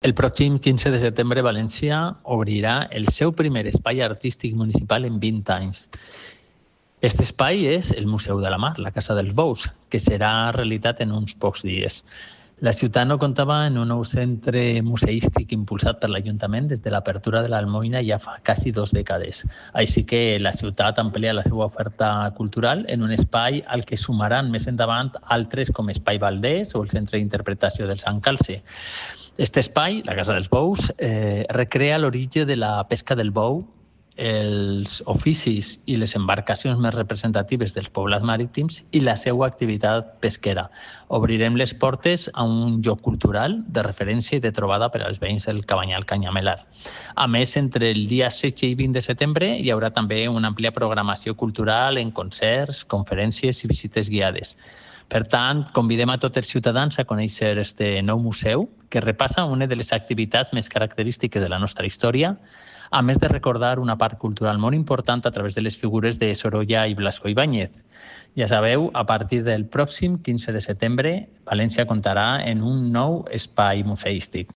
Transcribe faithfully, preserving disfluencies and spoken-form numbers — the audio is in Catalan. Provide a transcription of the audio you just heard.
El pròxim quinze de setembre, València obrirà el seu primer espai artístic municipal en vint anys. Este espai és el Museu de la Mar, la Casa dels Bous, que serà realitat en uns pocs dies. La ciutat no comptava en un nou centre museístic impulsat per l'Ajuntament des de l'apertura de l'Almoina ja fa quasi dues dècades. Així que la ciutat amplia la seva oferta cultural en un espai al que sumaran més endavant altres com Espai Valdés o el Centre d'Interpretació del Sant Calce. Este espai, la Casa dels Bous, eh, recrea l'origen de la pesca del bou, els oficis i les embarcacions més representatives dels poblats marítims i la seva activitat pesquera. Obrirem les portes a un lloc cultural de referència i de trobada per als veïns del Cabanyal Canyamelar. A més, entre el dia setze i vint de setembre hi haurà també una àmplia programació cultural en concerts, conferències i visites guiades. Per tant, convidem a tots els ciutadans a conèixer este nou museu que repassa una de les activitats més característiques de la nostra història, a més de recordar una part cultural molt important a través de les figures de Sorolla i Blasco Ibáñez. Ja sabeu, a partir del pròxim quinze de setembre, València comptarà en un nou espai museístic.